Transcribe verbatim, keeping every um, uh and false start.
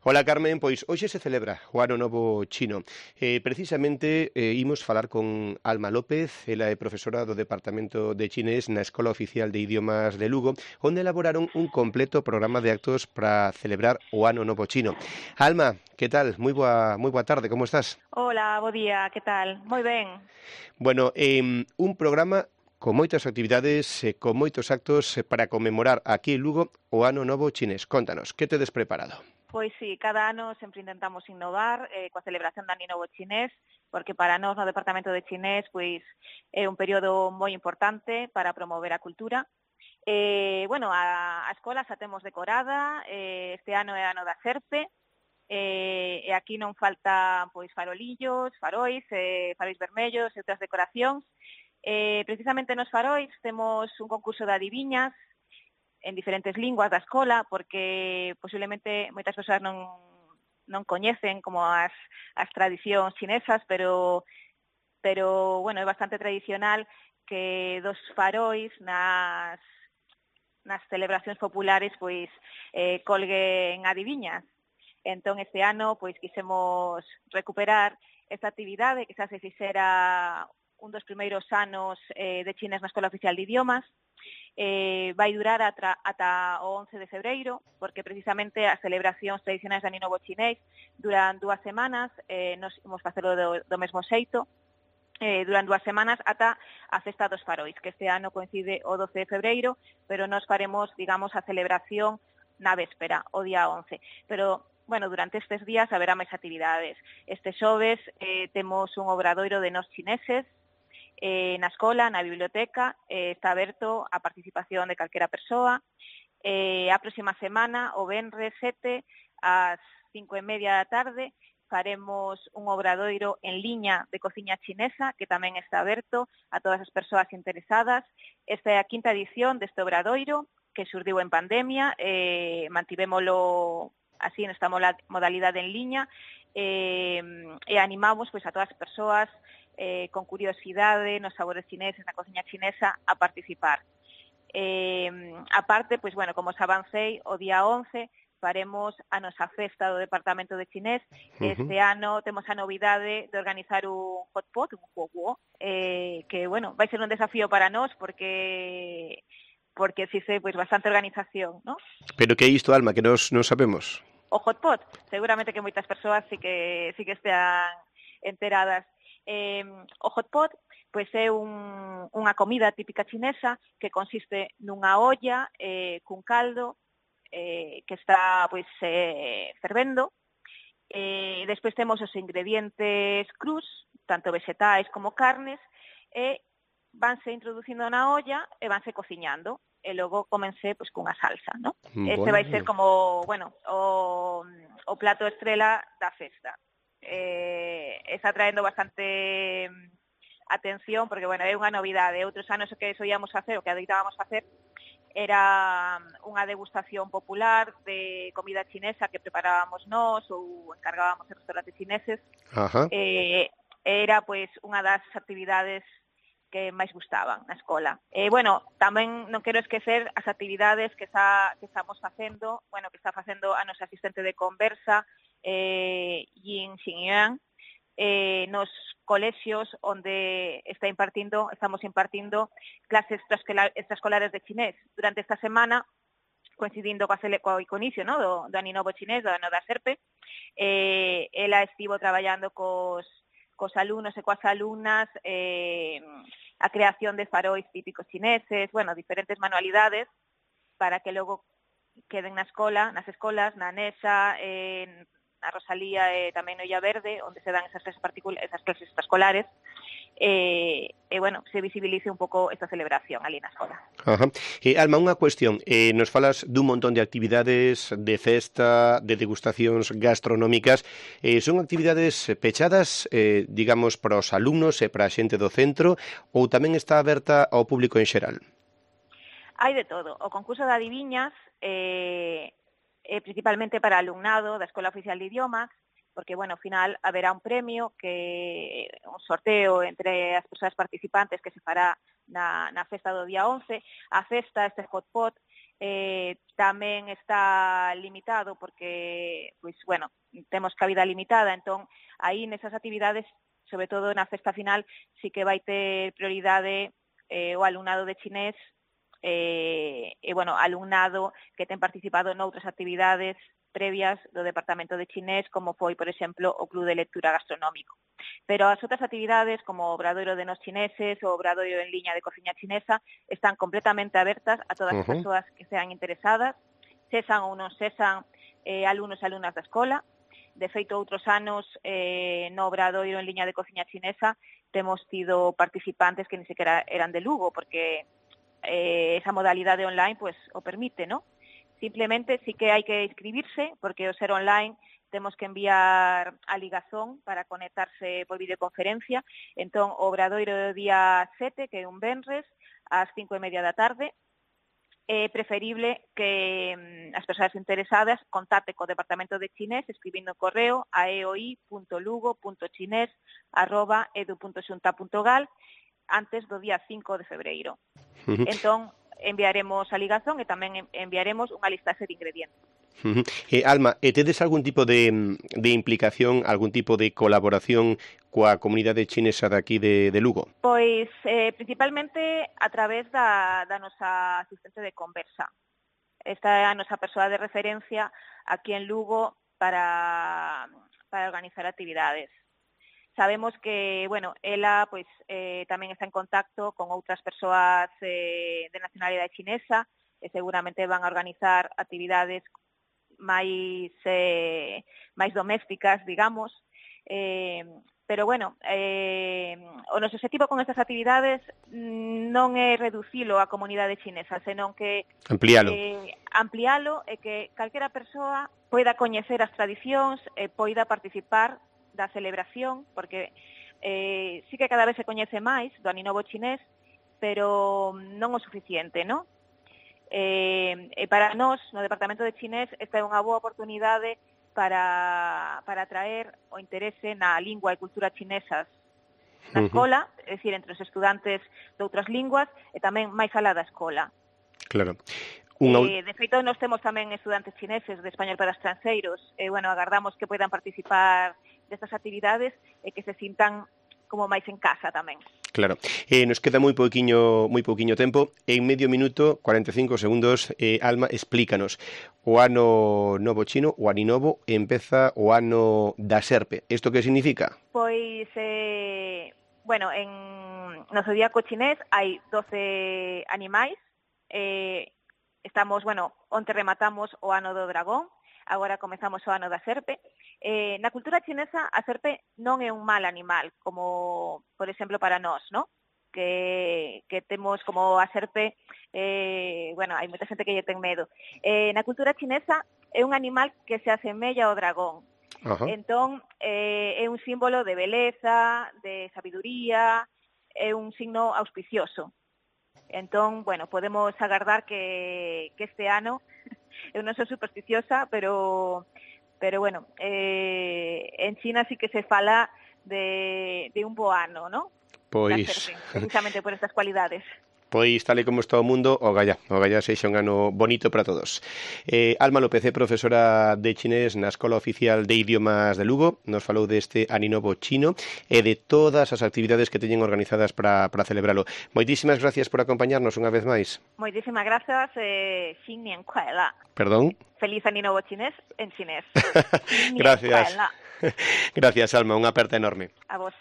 Ola, Carmen, pois hoxe se celebra o Ano Novo Chino. Eh, precisamente eh, imos falar con Alma López, ela é profesora do Departamento de Chinés na Escola Oficial de Idiomas de Lugo, onde elaboraron un completo programa de actos para celebrar o Ano Novo Chino. Alma, que tal? Moi boa, moi boa tarde, como estás? Hola, bo día, que tal? Moi ben. Bueno, eh, un programa con moitas actividades e con moitos actos eh, para conmemorar aquí en Lugo o Ano Novo Chinés. Contanos, que tedes preparado? Pois sí, cada ano sempre intentamos innovar eh, coa celebración do Ano Novo Chinés, porque para nós no Departamento de Chinés pois é un período moi importante para promover a cultura. Eh, bueno, a, a escola xa temos decorada, eh, este ano é ano da Serpe, eh, e aquí non faltan pois farolillos, farois, eh, farois vermellos e outras decoracións. Eh, precisamente nos farois temos un concurso de adiviñas en diferentes linguas da escola, porque posiblemente moitas persoas non, non coñecen como as, as tradicións chinesas, pero, pero bueno, é bastante tradicional que dos farois nas, nas celebracións populares pois eh, colguen adiviñas. Entón, este ano, pois, quisemos recuperar esta actividade que xa se fixera un dos primeiros anos eh, de chinés na Escola Oficial de Idiomas. Eh, vai durar ata, ata o once de febreiro, porque precisamente as celebracións tradicionais de Ano Novo Chinés duran dúas semanas, eh, nos imos facelo do, do mesmo xeito, eh, duran dúas semanas ata a Festa dos Farois, que este ano coincide o doce de febreiro, pero nos faremos, digamos, a celebración na véspera, o día once. Pero, bueno, durante estes días haberá máis actividades. Este xoves eh, temos un obradoiro de nos chineses, Eh, na escola, na biblioteca, eh, está aberto a participación de calquera persoa. Eh, a próxima semana, o venres sete, ás cinco e media da tarde, faremos un obradoiro en liña de cociña chinesa, que tamén está aberto a todas as persoas interesadas. Esta é a quinta edición deste obradoiro, que xurdiu en pandemia, eh, mantivémolo así nesta modalidade en liña, eh, e animamos pois, a todas as persoas Eh, con curiosidade nos sabores chineses, na cociña chinesa, a participar. Eh, aparte, pois, bueno, como os avancei, o día once faremos a nosa festa do Departamento de Chinés. Este uh-huh. ano temos a novidade de organizar un hot pot, un huoguo, eh, que, bueno, vai ser un desafío para nós, porque porque existe pois, bastante organización, ¿no? Pero que é isto, Alma, que nos non sabemos? O hot pot, seguramente que moitas persoas sí que, sí que estean enteradas. Eh, o hot pot pois é un, unha comida típica chinesa que consiste nunha olla eh, cun caldo eh, que está pois eh, fervendo. Eh, despois temos os ingredientes crus, tanto vegetais como carnes, e vanse introducindo na olla e vanse cociñando. E logo comense pois, cunha salsa, ¿no? Bueno. Este vai ser como, bueno, o, o plato estrela da festa. Eh, está traendo bastante atención porque, bueno, é unha novidade. Outros anos o que soíamos facer, o que adoitábamos facer, era unha degustación popular de comida chinesa que preparábamos nós ou encargábamos en restaurantes chineses. Ajá. Eh, era, pois, unha das actividades que máis gustaban na escola. Eh, bueno, tamén non quero esquecer as actividades que, está, que estamos facendo, bueno, que está facendo a nosa asistente de conversa, eh, Yin Xingyuan, eh, nos colexios onde está impartindo, estamos impartindo clases extraescolares de chinés. Durante esta semana, coincidindo coa, coa inicio, ¿no? do, do Ano Novo Chinés, do Ano da Serpe, eh, ela estivo traballando cos, cos alumnos e coas alumnas eh, a creación de farois típicos chineses, bueno, diferentes manualidades para que logo queden na escola, nas escolas, na Nesa, en a Rosalía e tamén no Illa Verde, onde se dan esas clases, esas clases extraescolares, e, e, bueno, se visibilice un pouco esta celebración ali na escola. Ajá. Eh, Alma, unha cuestión. Eh, nos falas dun montón de actividades de festa, de degustacións gastronómicas. Eh, son actividades pechadas, eh, digamos, para os alumnos e para a xente do centro, ou tamén está aberta ao público en xeral? Hai de todo. O concurso de adiviñas eh, é principalmente para alumnado da Escola Oficial de Idiomas, porque, bueno, ao final haberá un premio, que un sorteo entre as persoas participantes que se fará na, na festa do día once. A festa, este hot pot, eh, tamén está limitado porque, pois, bueno, temos cabida limitada, entón, aí nesas actividades, sobre todo na festa final, sí que vai ter prioridade eh, o alumnado de chinés e, e, bueno, alumnado que ten participado noutras actividades previas do Departamento de Chinés, como foi, por exemplo, o Club de Lectura Gastronómico. Pero as outras actividades, como o Obradoiro de nos chineses, o Obradoiro en liña de cociña chinesa, están completamente abertas a todas as Uh-huh. persoas que sean interesadas, sesan ou non sesan eh, alumnos e alumnas da escola. De feito, outros anos, eh, no Obradoiro en liña de cociña chinesa, temos tido participantes que ni sequera eran de Lugo, porque eh, esa modalidade online pues, o permite, ¿no? Simplemente sí que hai que inscribirse, porque o ser online temos que enviar a ligazón para conectarse por videoconferencia. Entón, o Obradoiro do día sete, que é un venres, ás cinco e media da tarde, é preferible que mm, as persoas interesadas contacten co Departamento de Chinés escribindo correo a eoi punto lugo punto chinés arroba edu punto xunta punto gal antes do día cinco de febreiro. Uh-huh. Entón, enviaremos a ligazón e tamén enviaremos unha listaxe de ingredientes. Uh-huh. Eh, Alma, eh, tedes algún tipo de, de implicación, algún tipo de colaboración coa comunidade chinesa daqui de, de Lugo? Pois, eh, principalmente a través da, da nosa asistente de conversa. Esta é a nosa persoa de referencia aquí en Lugo para, para organizar actividades. Sabemos que, bueno, ela pois, eh, tamén está en contacto con outras persoas eh, de nacionalidade chinesa e seguramente van a organizar actividades máis, eh, máis domésticas, digamos. Eh, pero, bueno, eh, o noso objetivo con estas actividades non é reducilo á comunidade chinesa, senón que amplialo. Eh, amplialo e que calquera persoa poida coñecer as tradicións e poida participar da celebración, porque eh, sí que cada vez se coñece máis do Aninovo chinés, pero non o suficiente, non? Eh, e para nós, no Departamento de Chinés, esta é unha boa oportunidade para, para atraer o interese na lingua e cultura chinesas na escola, uh-huh. é dicir, entre os estudantes de outras linguas e tamén máis alá da escola. Claro. Unha... Eh, de feito, nós temos tamén estudantes chineses de español para estranxeiros e, bueno, agardamos que poidan participar destas actividades e que se sintan como máis en casa tamén. Claro. Eh, nos queda moi pouquiño, moi pouquiño tempo. En medio minuto, cuarenta e cinco segundos, eh, Alma, explícanos. O ano novo chino, o aninovo, empeza o ano da serpe. Isto que significa? Pois, eh, bueno, en no zodíaco chinés hai doce animais. Eh, estamos, bueno, onte rematamos o ano do dragón, agora comezamos o ano da serpe. Eh, na cultura chinesa, a serpe non é un mal animal, como, por exemplo, para nós, ¿no? Que, que temos como a serpe, eh, bueno, hai moita xente que lle ten medo. Eh, na cultura chinesa é un animal que se asemella ao dragón. Uh-huh. Entón, eh, é un símbolo de beleza, de sabiduría, é un signo auspicioso. Entón, bueno, podemos agardar que, que este ano, eu non sou supersticiosa, pero, pero bueno, eh, en China sí que se fala de, de un bo ano, ¿no? Pois... Serpe, precisamente por estas cualidades. Pois, tal e como está o mundo, o gallá, o gallá sexa un ano bonito para todos. Eh, Alma López é profesora de chinés na Escola Oficial de Idiomas de Lugo, nos falou deste aninovo chino e de todas as actividades que teñen organizadas para, para celebralo. Moitísimas gracias por acompañarnos unha vez máis. Moitísimas grazas, eh, Xin Nian Kuai La. Perdón? Feliz aninovo chinés en chinés. Gracias. Gracias, Alma, unha aperta enorme. A vos.